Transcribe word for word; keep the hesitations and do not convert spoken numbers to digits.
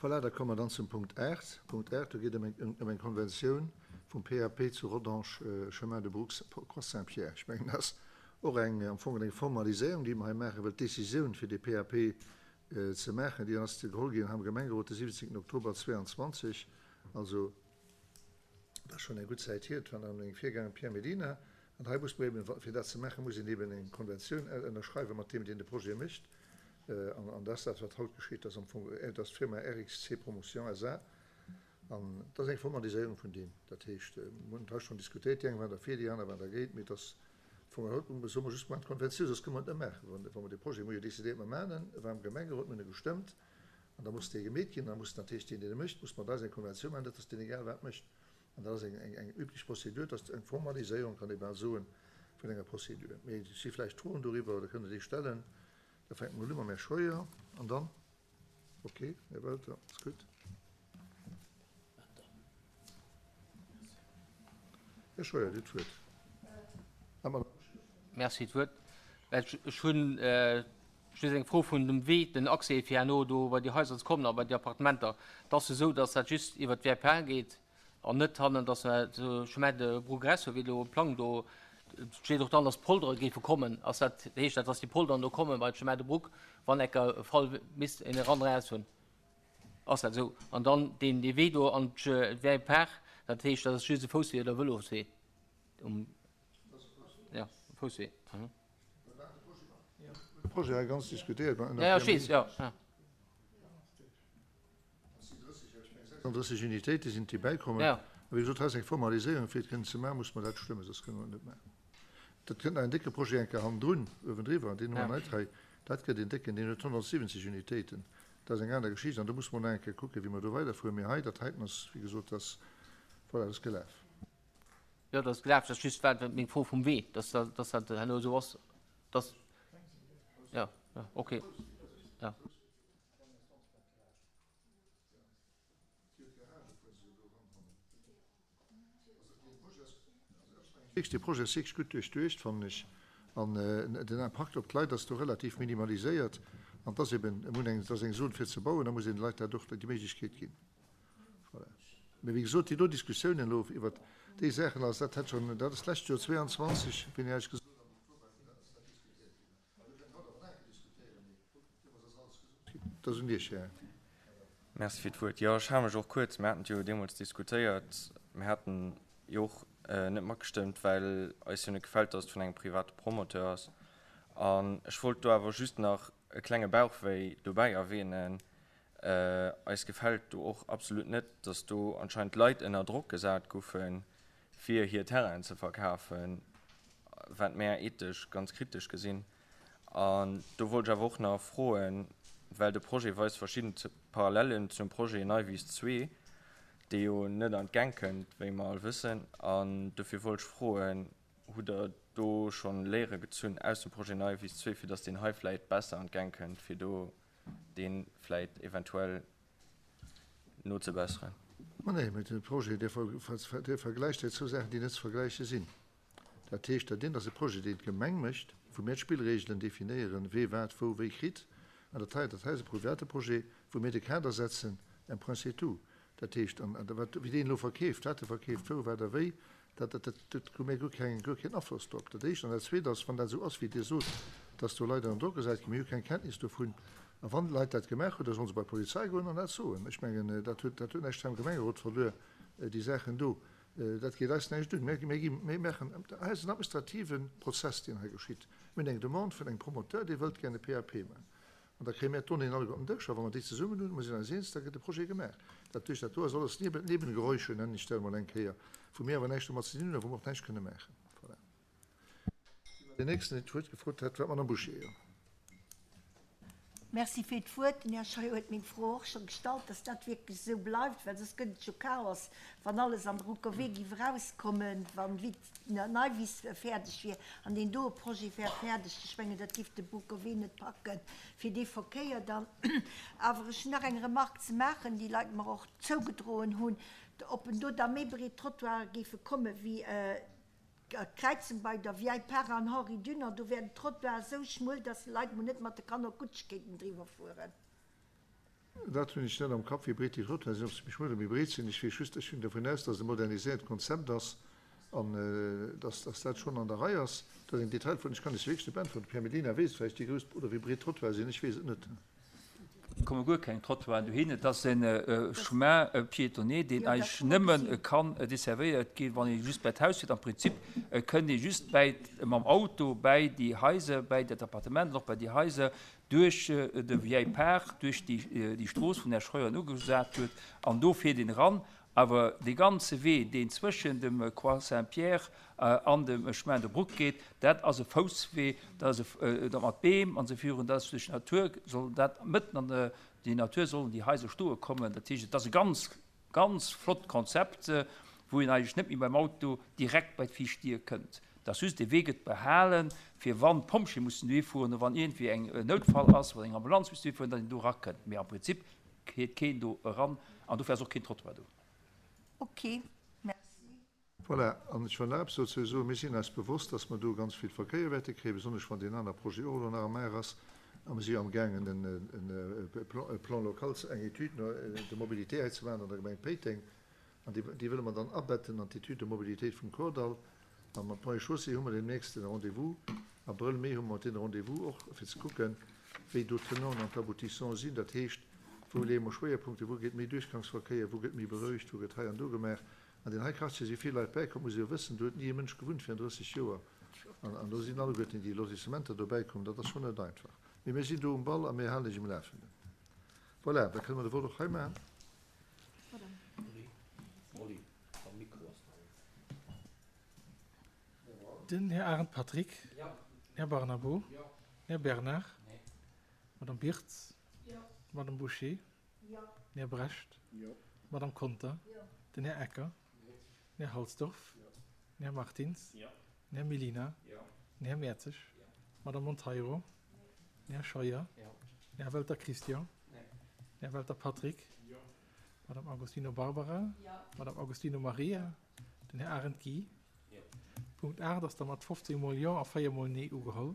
Voilà, da komme mer dann zum Punkt aacht. Punkt aacht, do geet et ëm eng, ëm eng Konventioun vum P A P zu Rodange, Chemin de Brooks, Croix Saint-Pierre. Ech mengen, dat ass och eng, am Fong eng Formaliséierung, déi mer hei maachen, well d'Décisioun fir dee P A P ze maachen, déi ass geholl ginn am Gemengerot de siwwenzéngten Oktober zweiundzwanzeg, also dat ass schonn eng gutt Zäit hier, et war nach mengem Virgänger Pierre Mellina. An hei muss man eben, fir dat ze maachen, muss een eben eng Konventioun ënnerschreiwen mat deem, deen de Projet mécht. An dat ass dat, wat haut geschitt. Dat ass am Fong, dat ass d'Firma R X C Promotion S A. An dat ass eng Formaliséierung vun deem. Dat heescht, mir hunn hei schonn diskutéiert, déi eng waren derfir, déi aner waren dergéint, mee et ass vun haut soe mer just, maachen d'Konventioun, soss kënne mer et net maachen. Wann mer dee Projet, mir hu jo décidéiert, mer maachen en, e war am Gemengerot, mir hunn e gestëmmt, an da muss dee gemeet ginn, da muss natierlech deen, deen e mécht, muss mat eis eng Konventioun maachen, dat ass deen egal wat mécht. An dat ass eng eng eng üblech Prozedur, dat ass eng Formaliséierung, kann ee bal soen, vun enger Prozedur. Mee et si vläicht Froen doriwwer oder kënnt Der déi stellen? Da fänke mer elo u mam Här Scheuer an dann, okay, Här Welter, ass gutt. Här Scheuer, Dir hutt d'Wuert. Ah, Madame. Merci d'Wuert. Ech hunn just eng Fro vun dem Wee, den Accès fir herno do bei déi Haiser ze kommen a bei déi Appartementer. Dat ass esou, datt dat just iwwer d'Vie geet an net hannen, datt se Chemin de Progrès, wéi do um Plang do steet och dann, datt Poldere géife kommen. Ass dat, heescht dat, datt déi Polderen do komme bei Chemin de Bruck, wann ecker Fall misst een eran eraus hunn? Ass dat esou? An dann deen dee Wee do an d'Vieille Par, dat heescht, dat ass just e Fousswee oder Vëloswee? Um, ja, Fousswee. Mhm. De Projet hei ganz diskutéiert. Ja, ja, ech weess, ja. Ja. sechsunddrësseg Unitéite sinn déi bäikommen. Ja. A wéi gesot, hei ass eng Formaliséierung, fir et kënnen ze maachen, muss mer dat stëmmen, soss kënne mer et net maachen. Dat kënnt nach en décke Projet eng Kéier hannendrun, uewendriwwer, deen hu mer Ja. net hei. Dat gëtt en décken, deen huet honnertsiwwenzeg Unitéiten. Dat ass eng aner Geschicht an do muss mer nach eng Kéier kucken, wéi mer do weiderfueren. Mee hei, dat heiten ass, wéi gesot, dat, voilà, dat ass gelaf. Ja, dat ass gelaf, dat ass just wat meng Fro vum Wee, dass dat, dass dat herno esou ass, dass, ja, ja, okay. Ja. Dee Projet ass wierklech gutt duerchduecht, fannen ech. An den Impakt op d'Leit ass do relativ minimaliséiert. An et ass eben, et muss eng, et ass eng Zon fir ze bauen, da muss een de Leit dat och déi Méiglechkeet ginn. Voilà. Mee wéi gesot, déi do Diskussiounen elo iwwert déi Saachen, also dat hätt schonn, dat ass d'lescht Joer zweiundzwanzeg, wéini hat ech gesot, am Oktober, dat ass dat diskutéiert ginn. An do kënnt haut awer nach eng Kéier diskutéieren, mee deemools ass alles gesot ginn. Dat ass un Iech, Här. Merci fir d'Wuert. Jo, ech hale mech och kuerz. Mir haten et jo deemools diskutéiert. Mir haten jo och net matgestëmmt, well eis jo net gefält, dass et vun engem private Promoteur ass. An ech wollt do awer just nach e klenge Bauchwéi dobäi erwähnen. Eis gefält do och absolut net, dass do anscheinend Leit ënner Drock gesat goufen, fir hir Terrainen ze verkafen, wat mär ethesch ganz kritesch gesinn. An do wollt ech awer och nach froen, well de Projet weist verschidden Parallelen zum Projet Neiwiss zwee, dee jo net an d'Gäng kënnt, wéi mer all wëssen. An dofir wollt ech froen, hutt Der do schonn Léiere gezunn aus dem Projet Neiwiss zwee, fir dass deen hei vläit besser an d'Gäng kënnt, fir do dee vläit eventuell nozebesseren? Ma nee, mee de Projet, dee vergläicht hei zwou Saachen, déi net ze vergläiche sinn. Dat heescht, dat eent ass e Projet, deen d'Gemeng mécht, wou mir d'Spillregelen definéieren, wee wat wou wéi kritt. An dat hei, dat hei ass e private Projet, wou mir de Kader setzen, un point c'est tout. Dat heescht, an wat, wéi deen elo verkeeft, wat e verkeeft, wou, wat a wéi, dat, dat, dat hu mir guer keng, guer keen Afloss drop. Dat éischt. An dat Zweet ass, wann dat esou ass, wéi Dir sot, dass do Leit ënner Drock gesat ginn, mir hu keng Kenntnis dovun. A wann Leit dat gemaach hunn, da sollen se bei d'Polizei goen an dat soen. Ech mengen, dat huet, dat huet näischt am Gemengerot verluer, déi Saachen do. Dat geet eis näischt un. Mir, mir gi, mir maachen, hei ass en administrative Prozess, deen hei geschitt. Mir hunn eng Demande vun engem Promoteur, dee wëllt gär e P A P maachen. An da kréie mir d'Donnéeën alleguer op den Dësch, a wa mer déi zesummen hunn, mir sinn eis eens, da gëtt de Projet gemaach. Dat duerch dat do ass alles Neben, Nebengeräusche, nennen ech dat emol eng Kéier, wou mir awer näischt domat ze dinn hunn a wou mer och näischt kënne maachen. Voilà. Deen nächsten, deen d'Wuert gefrot hat, war d'Madame Bouché. Jo. Merci fir d'Wuert. Den Här Scheuer huet meng Fro och scho gestallt, dass dat wierklech esou bleift, well soss gëtt et jo Chaos, wann alles an der Ruckerwee géif erauskommen, wann Neiwiss fäerdeg wier an deen doe Projet wär fäerdeg. Ech mengen, dat géif de Ruckerwee net packen fir dee Verkéier dann. Awer ech hunn nach eng Remarque ze maachen, déi Leit mer och zougedroen hunn, ob en do da méi breet Trottoire géife komme wéi d'Kräizung bei der Vieille Pare an Henri Dunant. Do wär den Trottoir esou schmuel, dass Leit mol net mat de Kanner Kutsch kéinten driwwer fueren. Dat hunn ech net am Kapp, wéi breet déi Trottoiren sinn, ob se méi schmuel oder méi breet sinn. Ech weess just, ech ginn dovun aus, dass et e moderniséiert Konzept ass an dass, dass dat schonn an der Rei ass. Dat ass eng Detailfro, ech kann lech se wierklech net beäntweren. De Pierre Mellina weess et vläicht, wéi grouss oder wéi breet d'Trottoire sinn. Ech weess et net. Et komme guer keng Trottoiren dohin. Et ass e Chemin piétonnier, deen eigentlech nëmme kann desservéiert ginn, wann ee just bäi d'Haus fiert. Am Prinzip kënnt ee just bäi, mam Auto bäi déi Haiser, bäi dat Appartement an och bäi déi Haiser duerch de Vieille Parc, duerch déi Strooss, wou den Här Scheuer ugesat huet, an do fiert een eran. Awer dee ganze Wee, deen zwëschen dem Croix Saint-Pierre an dem Chemin de Bruck geet, dat ass e Fousswee, dat ass e, dat mat Beem an esou virun, dat ass duerch d'Natur, soll dat mëtten an déi Natur sollen déi Haiser stoe kommen. Dat heescht, et ass e ganz, ganz flott Konzept, wou een eigentlech net méi beim Auto direkt bei d'viischt Dier kënnt. Et ass just, dee Wee gëtt behalen, fir wann d'Pompjeeë mussen dohi fueren oder wann iergendwéi eng Noutfall ass, wann eng Ambulanz muss dohi fueren, datt een do erakënnt. Mee am Prinzip fiert keen do eran an dofir ass och keen Trottoir do. Ok, merci. Voilà, an ech wëll nach eppes dozou soen. Mir sinn eis bewosst, dass mer do ganz vill Verkéier wäerte kréien, besonnesch wann deen aner Projet och elo nach am Maach ass. A mir si jo amgaangen, e Plan local, eng Étude de mobilité hei ze maachen an der Gemeng Péiteng. An déi, déi wëlle mer dann abetten an d'Étude de mobilité vum Kordall. A mat Ponts et Chaussées hu mer deemnächst e Rendez-vous. Abrëll, Mee hu mer mat deene Rendez-vous och, fir ze kucken, wéi do d'Tenanten an d'Aboutissants sinn. Dat heescht, wou leeë mer Schwéierpunkte, wou gëtt méi Duerchgangsverkéier, wou gëtt méi berouegt, wou gëtt hei an do gemaach. An deen hei Quartier si vill Leit bäikomm, muss ee jo wëssen, do huet ni e Mënsch gewunnt virun drësseg Joer. An, an do sinn alleguerten déi Lotissementer dobäi komm. Dat ass schonn net einfach. Mee mir sinn do um Ball a mir halen lech um Lafenden. Voilà, da kënne mer de Vott och hei maachen. Den Här Arendt Patrick. Den Här Barnabo. Den Här Bernard. D'Madame Birtz. D'Madame Bouché. Den Här Brecht. D'Madame Conter. Den Här Ecker. Den Här Halsdorf. Den Här Martins. Den Här Mellina. Den Här Mertzig. D'Madame Monteiro. Den Här Scheuer. Den Här Welter Christian. Den Här Welter Patrick. D'Madame Agostino Barbara. D'Madame Agostino Maria. Den Här Arendt Guy. Punkt aacht ass da mat fofzéng mol Jo a véier mol Nee ugeholl.